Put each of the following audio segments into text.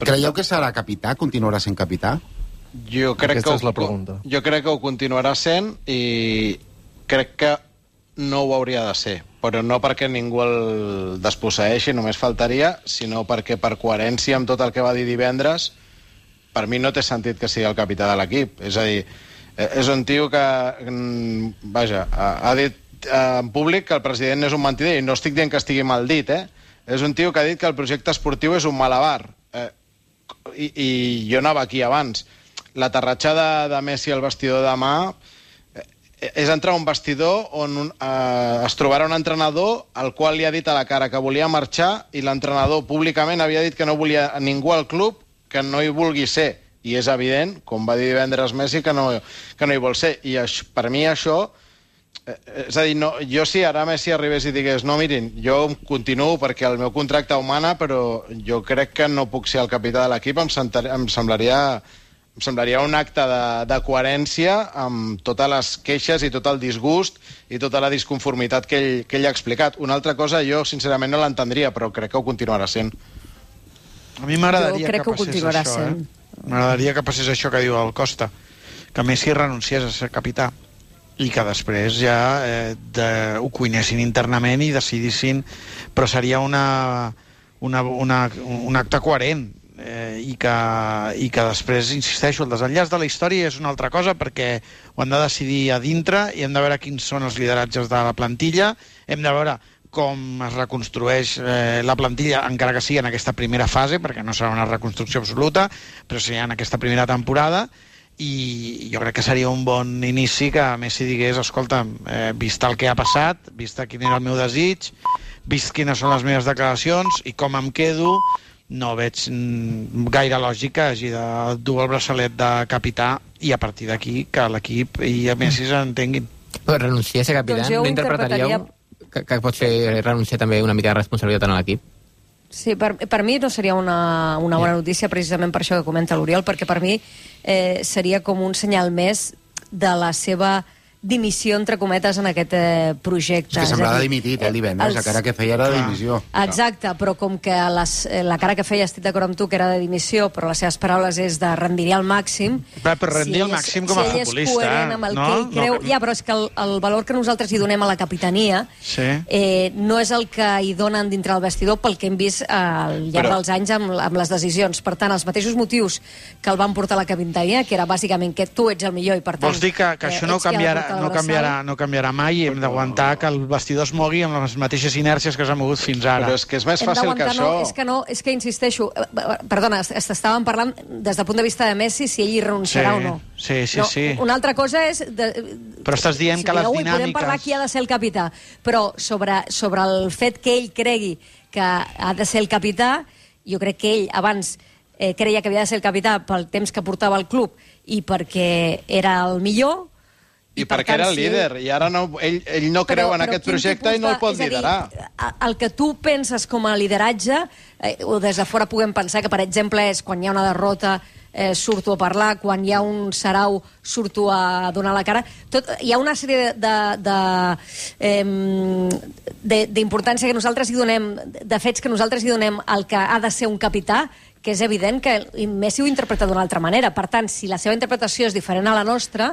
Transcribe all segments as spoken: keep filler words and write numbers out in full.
Creieu que serà capità? Continuarà sent capità? Jo crec Aquesta que és la pregunta. Jo crec que ho continuarà sent i crec que no ho hauria de ser, però no perquè ningú el desposseeixi, només faltaria, sinó perquè per coherència amb tot el que va dir divendres, per mi no té sentit que sigui el capità de l'equip. És a dir, és un tio que, vaja, ha dit en públic que el president és un mentider, i no estic dient que estigui mal dit, eh? És un tio que ha dit que el projecte esportiu és un malabar. Eh, i, I jo anava aquí abans. L'aterratjada de Messi al vestidor demà és entrar a un vestidor on un, eh, es trobarà un entrenador al qual li ha dit a la cara que volia marxar i l'entrenador públicament havia dit que no volia ningú al club que no hi vulgui ser. I és evident, com va dir divendres Messi, que no, que no hi vol ser. I això, per mi això... Eh, és a dir, no, jo si ara Messi arribés i digués no, mirin, jo continuo perquè el meu contracte ho mana, però jo crec que no puc ser el capità de l'equip, em, em semblaria... Em semblaria un acte de, de coherència amb totes les queixes i tot el disgust i tota la disconformitat que ell, que ell ha explicat. Una altra cosa jo, sincerament, no l'entendria, però crec que ho continuarà sent. A mi m'agradaria que, que, que passés això, eh? M'agradaria que passés això que diu el Costa, que Messi renunciés a ser capità i que després ja eh, de, ho cuinessin internament i decidissin, però seria una, una, una, un acte coherent. Eh, i, que, i que després, insisteixo, el desenllaç de la història és una altra cosa perquè ho han de decidir a dintre i hem de veure quins són els lideratges de la plantilla, hem de veure com es reconstrueix eh, la plantilla, encara que sigui en aquesta primera fase, perquè no serà una reconstrucció absoluta, però sí en aquesta primera temporada, i jo crec que seria un bon inici que Messi digués, escolta, eh, vist el que ha passat, vist quin era el meu desig, vist quines són les meves declaracions i com em quedo, no veig gaire lògic que hagi de dur el braçalet de capità i a partir d'aquí que l'equip i a Messi s'entenguin. Però renunciar a ser capità, doncs no interpretaríeu que, que pot ser renunciar també una mica de responsabilitat en l'equip? Sí, per, per mi no seria una, una bona notícia precisament per això que comenta l'Oriol, perquè per mi eh, seria com un senyal més de la seva dimissió, entre cometes, en aquest eh, projecte. És que semblava dimitit, el divendres, els... la cara que feia era de dimissió. Exacte, però com que les, la cara que feia, estic d'acord amb tu, que era de dimissió, però les seves paraules és de rendiré al màxim... Però, però rendir si al màxim com a si futbolista... Si ell és coherent amb el no? que ell creu... No, que... Ja, però és que el, el valor que nosaltres hi donem a la capitania sí. eh, no és el que hi donen dintre el vestidor pel que hem vist eh, al llarg però... dels anys amb, amb les decisions. Per tant, els mateixos motius que el van portar a la capitania, que era bàsicament que tu ets el millor i, per tant... Vols dir que, que això no canviarà, no canviarà, no canviarà mai i hem d'aguantar que el vestidor es mogui amb les mateixes inèrcies que s'ha mogut fins ara. Però és que és més fàcil que això... No, és que no, és que insisteixo... Perdona, estàvem parlant des del punt de vista de Messi si ell hi renunciarà sí, o no. Sí, sí, no, sí. Una altra cosa és... De, però estàs dient si que les no, dinàmiques... Podem parlar qui ha de ser el capità, però sobre, sobre el fet que ell cregui que ha de ser el capità, jo crec que ell abans eh, creia que havia de ser el capità pel temps que portava al club i perquè era el millor... I, I per perquè tant, era el líder, sí. I ara no, ell, ell no creu però, en aquest projecte i no el pot liderar. Dir, el que tu penses com a lideratge, eh, o des de fora puguem pensar que, per exemple, és quan hi ha una derrota eh, surto a parlar, quan hi ha un sarau surto a donar la cara. Tot, hi ha una sèrie d'importància que nosaltres hi donem, de fets que nosaltres hi donem al que ha de ser un capità, que és evident que Messi ho interpreta d'una altra manera. Per tant, si la seva interpretació és diferent a la nostra,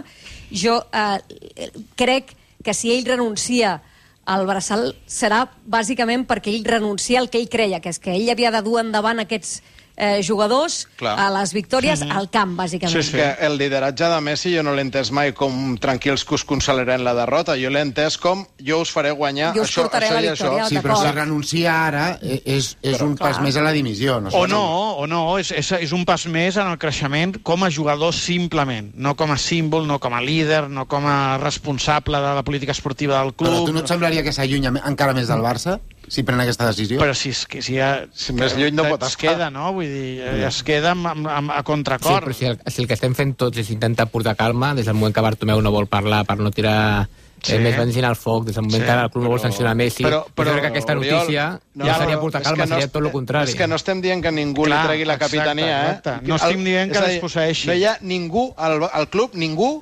jo eh, crec que si ell renuncia al braçal serà bàsicament perquè ell renuncia al que ell creia, que és que ell havia de dur endavant aquests eh, jugadors Clar. a les victòries mm -hmm. al camp, bàsicament. Sí, sí. Que el lideratge de Messi jo no l'he entès mai com tranquils que us consolarem la derrota, jo l'he entès com jo us faré guanyar jo us això, portaré això la i victòria, això. Sí, però si renuncia ara és, és però, un pas clar. més a la dimissió. No sé o no, o no, és, és, és un pas més en el creixement com a jugador simplement, no com a símbol, no com a líder, no com a responsable de la política esportiva del club. Però tu no et semblaria que s'allunya encara més del Barça? Si pren aquesta decisió? Però si, és que, si, ha, si més lluny no pot es estar. queda, no? Vull dir, es queda amb, amb, a contracor. Sí, però si el, si el que estem fent tots és intentar portar calma, des del moment que Bartomeu no vol parlar per no tirar sí. eh, més benzina al foc, des del moment sí, que el club no vol sancionar Messi, però, però, jo crec que aquesta notícia Oriol, no, no seria portar calma, no, seria tot el contrari. És que no estem dient que ningú Clar, li tregui la capitania, exacte, exacte. eh? No estem dient que desposseeixi. No hi ha ningú, al, al club, ningú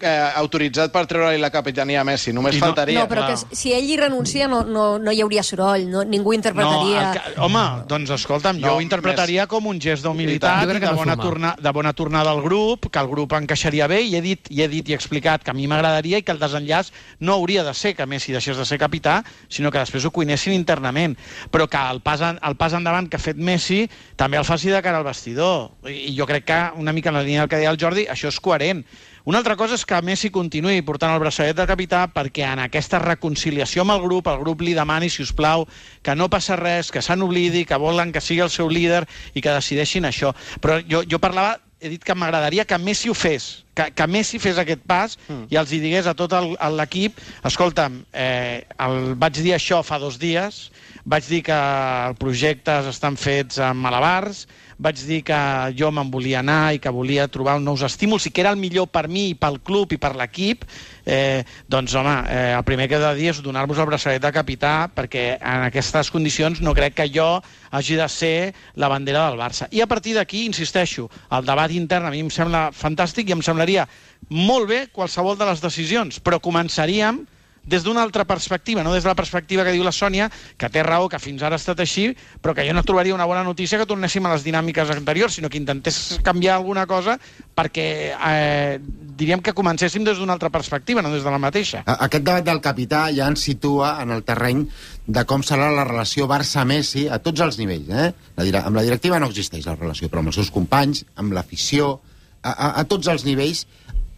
eh, autoritzat per treure-li la capitania a Messi, només no, faltaria. No, però que si ell hi renuncia no, no, no hi hauria soroll, no, ningú interpretaria... No, que, home, doncs escolta'm, no, jo ho interpretaria més... com un gest d'humilitat i de bona, torna, de bona tornada al grup, que el grup encaixaria bé, i he dit i he dit i he explicat que a mi m'agradaria i que el desenllaç no hauria de ser que Messi deixés de ser capità, sinó que després ho cuinessin internament. Però que el pas, en, el pas endavant que ha fet Messi també el faci de cara al vestidor. I, i jo crec que, una mica en la línia del que deia el Jordi, això és coherent. Una altra cosa és que Messi continuï portant el braçalet de capità perquè en aquesta reconciliació amb el grup, el grup li demani, si us plau, que no passa res, que se n'oblidi, que volen que sigui el seu líder i que decideixin això. Però jo, jo parlava, he dit que m'agradaria que Messi ho fes, que, que Messi fes aquest pas mm. i els hi digués a tot l'equip, escolta'm, eh, el, vaig dir això fa dos dies, vaig dir que els projectes estan fets amb malabars, vaig dir que jo me'n volia anar i que volia trobar nous estímuls i que era el millor per mi i pel club i per l'equip, eh, doncs home, eh, el primer que he de dir és donar-vos el braçalet de capità, perquè en aquestes condicions no crec que jo hagi de ser la bandera del Barça. I a partir d'aquí, insisteixo, el debat intern a mi em sembla fantàstic i em semblaria molt bé qualsevol de les decisions, però començaríem des d'una altra perspectiva, no des de la perspectiva que diu la Sònia, que té raó, que fins ara ha estat així, però que jo no trobaria una bona notícia que tornéssim a les dinàmiques anteriors, sinó que intentés canviar alguna cosa perquè eh, diríem que comencéssim des d'una altra perspectiva, no des de la mateixa. Aquest debat del capità ja ens situa en el terreny de com serà la relació Barça-Messi a tots els nivells. Eh? La, amb la directiva no existeix la relació, però amb els seus companys, amb l'afició, a, a, a tots els nivells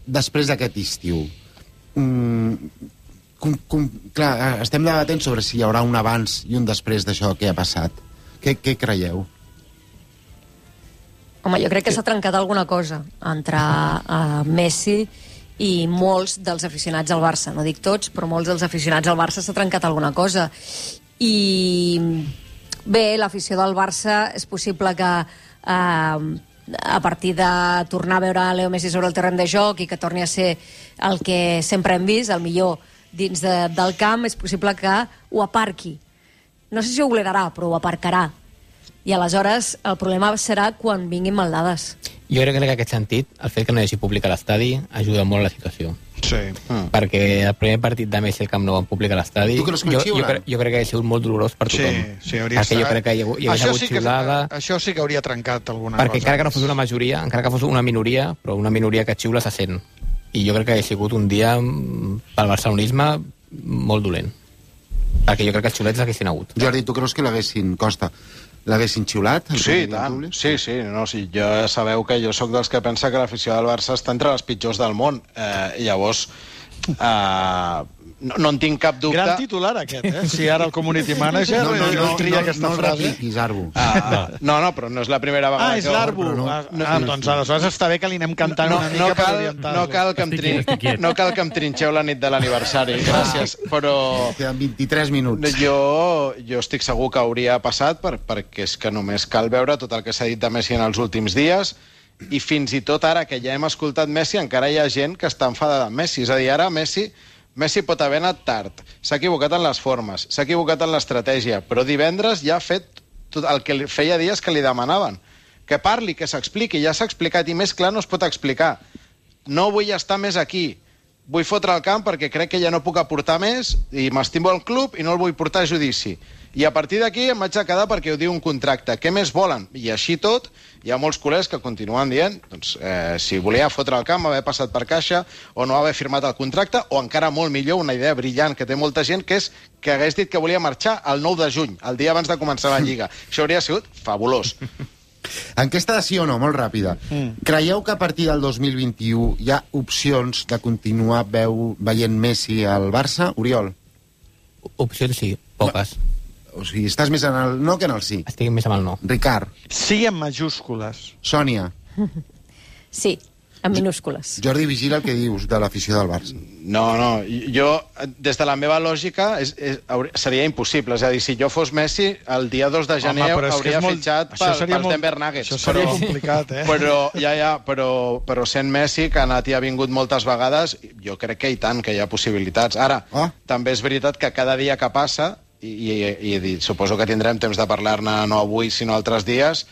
després d'aquest estiu. Mm, Com, com, clar, estem debatent sobre si hi haurà un abans i un després d'això que ha passat. Què, què creieu? Home, jo crec que s'ha trencat alguna cosa entre uh, Messi i molts dels aficionats al Barça. No dic tots, però molts dels aficionats al Barça s'ha trencat alguna cosa. I bé, l'afició del Barça és possible que uh, a partir de tornar a veure Leo Messi sobre el terreny de joc i que torni a ser el que sempre hem vist, el millor dins de, del camp, és possible que ho aparqui. No sé si ho oblidarà, però ho aparcarà. I aleshores el problema serà quan vinguin maldades. Jo crec que en aquest sentit, el fet que no hi hagi públic a l'estadi ajuda molt a la situació. Sí. Mm. Perquè el primer partit de Messi al Camp Nou en públic a l'estadi, jo, jo, cre jo crec que ha sigut molt dolorós per tothom. Sí, sí, hauria estat... jo crec que hi, hi hauria hagut sí xiulada... Que, això sí que hauria trencat alguna perquè cosa. Perquè encara que no fos una majoria, encara que fos una minoria, però una minoria que xiula se sent. I jo crec que ha sigut un dia pel barcelonisme molt dolent. Perquè jo crec que els xiulets l'haguessin hagut. Jordi, tu creus que l'haguessin, Costa, l'haguessin xiulat? Sí, tant. Sí, sí. No, sí. Jo ja sabeu que jo sóc dels que pensa que l'afició del Barça està entre les pitjors del món. Eh, llavors, eh, no, no en tinc cap dubte... Gran titular aquest, eh? Si ara el community manager no, no, no, no tria no, aquesta no frase. No el repiquis, Arbu. Ah, no, no, però no és la primera vegada ah, és l'Arbu. No, ah, no, ah, doncs aleshores està bé que li anem cantant no, una mica no cal, per orientar-lo. No cal, que em trin... no cal que em trinxeu la nit de l'aniversari, gràcies, però... Queden vint-i-tres minuts. Jo, jo estic segur que hauria passat, per, perquè és que només cal veure tot el que s'ha dit de Messi en els últims dies, i fins i tot ara que ja hem escoltat Messi, encara hi ha gent que està enfadada amb Messi. És a dir, ara Messi... Messi pot haver anat tard, s'ha equivocat en les formes, s'ha equivocat en l'estratègia, però divendres ja ha fet tot el que feia dies que li demanaven. Que parli, que s'expliqui, ja s'ha explicat, i més clar no es pot explicar. No vull estar més aquí, vull fotre el camp perquè crec que ja no puc aportar més, i m'estimo el club i no el vull portar a judici. I a partir d'aquí em vaig a quedar perquè ho diu un contracte. Què més volen? I així tot, hi ha molts culers que continuen dient doncs, eh, si volia fotre el camp, haver passat per caixa o no haver firmat el contracte, o encara molt millor, una idea brillant que té molta gent, que és que hagués dit que volia marxar el nou de juny, el dia abans de començar la Lliga. Això hauria sigut fabulós. Enquesta de sí o no, molt ràpida. Mm. Creieu que a partir del dos mil vint-i-u hi ha opcions de continuar veu, veient Messi al Barça? Oriol? Opcions sí, poques. Va. O sigui, estàs més en el no que en el sí. Estic més amb el no. Ricard. Sí, en majúscules. Sònia. Sí, en minúscules. Jordi, vigila el que dius de l'afició del Barça. No, no, jo, des de la meva lògica, és, és, seria impossible. És a dir, si jo fos Messi, el dia dos de gener Home, hauria molt... fitxat per, per molt... Denver Nuggets. Això seria però, complicat, eh? Però, ja, ja, però, però sent Messi, que ha anat i ha vingut moltes vegades, jo crec que i tant, que hi ha possibilitats. Ara, oh. també és veritat que cada dia que passa, i, i, i, i suposo que tindrem temps de parlar-ne no avui, sinó altres dies,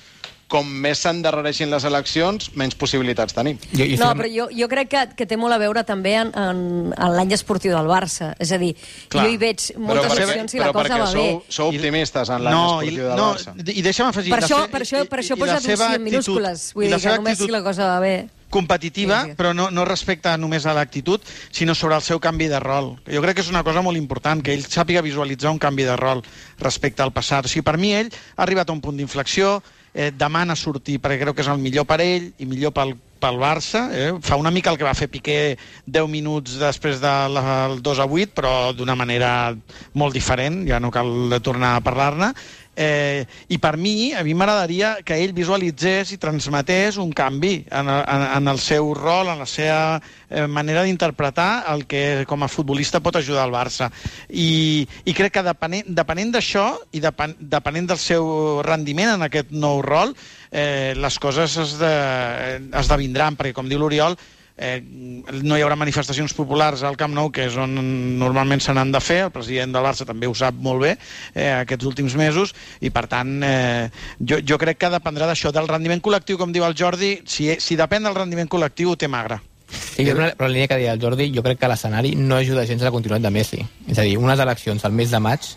com més s'endarrereixin les eleccions, menys possibilitats tenim. Jo, jo no, però jo, jo crec que, que té molt a veure també en, en, en l'any esportiu del Barça. És a dir, Clar. jo hi veig moltes però opcions i la cosa va sou, bé. Però sou optimistes en l'any no, esportiu del no, Barça. I deixa'm afegir... Per això, per això, per això he posat un sí en minúscules. Vull dir que només si la cosa va bé... competitiva, sí, sí. però no, no respecte només a l'actitud, sinó sobre el seu canvi de rol. Jo crec que és una cosa molt important, que ell sàpiga visualitzar un canvi de rol respecte al passat. O sigui, per mi ell ha arribat a un punt d'inflexió, eh, demana sortir perquè creu que és el millor per ell i millor pel, pel Barça. Eh? Fa una mica el que va fer Piqué deu minuts després del dos a vuit, però d'una manera molt diferent, ja no cal tornar a parlar-ne. Eh, i per mi, a mi m'agradaria que ell visualitzés i transmetés un canvi en, en, en el seu rol, en la seva eh, manera d'interpretar el que com a futbolista pot ajudar el Barça. I, i crec que depenent, depenent d'això i depen, depenent del seu rendiment en aquest nou rol, eh, les coses es de, esdevindran, perquè com diu l'Oriol, Eh, no hi haurà manifestacions populars al Camp Nou, que és on normalment se n'han de fer. El president del Barça també ho sap molt bé eh, aquests últims mesos, i per tant eh, jo, jo crec que dependrà d'això, del rendiment col·lectiu, com diu el Jordi. Si, si depèn del rendiment col·lectiu ho té magre. Sí, però la línia que deia el Jordi, jo crec que l'escenari no ajuda gens a la continuïtat de Messi. És a dir, unes eleccions al mes de maig,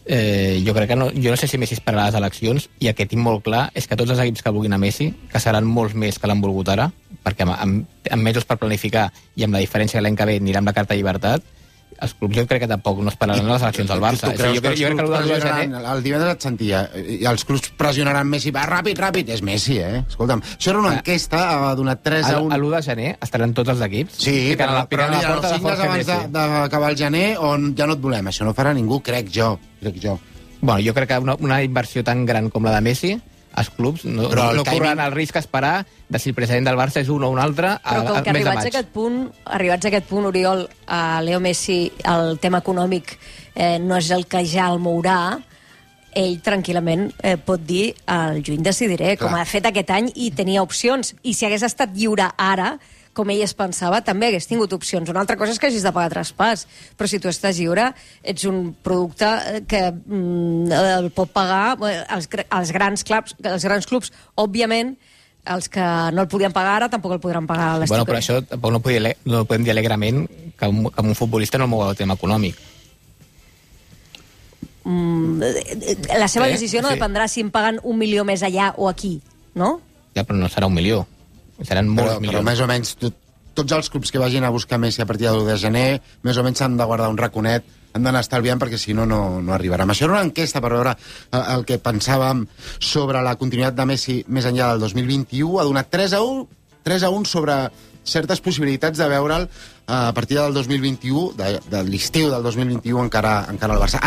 eh, jo crec que no, jo no sé si Messi esperarà les eleccions, i el que tinc molt clar és que tots els equips que vulguin a Messi, que seran molts més que l'han volgut ara, perquè amb, amb, amb mesos per planificar i amb la diferència que l'any que ve anirà amb la carta de llibertat, els clubs jo crec que tampoc no esperaran les eleccions del Barça. Tu, tu creus jo, que jo crec que el, de gener... el divendres et sentia, i els clubs pressionaran Messi, va, ràpid, ràpid, és Messi, eh? Escolta'm, això era una enquesta, ha donat tres a un... A l'u de gener estaran tots els equips. Sí, però, la, però n'hi ha els cinc abans d'acabar el gener on ja no et volem. Això no farà ningú, crec jo. Crec jo. Bueno, jo crec que una, una inversió tan gran com la de Messi, els clubs no, no, no corren el risc a esperar de si el president del Barça és un o un altre a, però com que a, a arribats a aquest punt, arribats a aquest punt, Oriol, a Leo Messi, el tema econòmic eh, no és el que ja el mourà, ell tranquil·lament eh, pot dir al juny decidiré, Clar. com ha fet aquest any, i tenia opcions. I si hagués estat lliure ara, com ell es pensava, també hagués tingut opcions. Una altra cosa és que hagis de pagar traspàs, però si tu estàs lliure, ets un producte que mm, el pot pagar els, els, grans clubs, els grans clubs, òbviament, els que no el podien pagar ara tampoc el podran pagar a l'estiu. Bueno, però això tampoc no, podem, no podem dir alegrament que un, que un futbolista no el mou el tema econòmic. Mm, la seva eh? decisió no sí. dependrà si em paguen un milió més allà o aquí, no? Ja, però no serà un milió. Seran molts però, milions. però més o menys tot, tots els clubs que vagin a buscar Messi a partir de l'u de gener més o menys s'han de guardar un raconet, han d'anar estalviant perquè si no, no, no arribarà. Això era una enquesta per veure el, el que pensàvem sobre la continuïtat de Messi més enllà del dos mil vint-i-u. Ha donat tres a un, tres a un sobre certes possibilitats de veure'l a partir del dos mil vint-i-u, de, de l'estiu del dos mil vint-i-u encara, encara al Barça.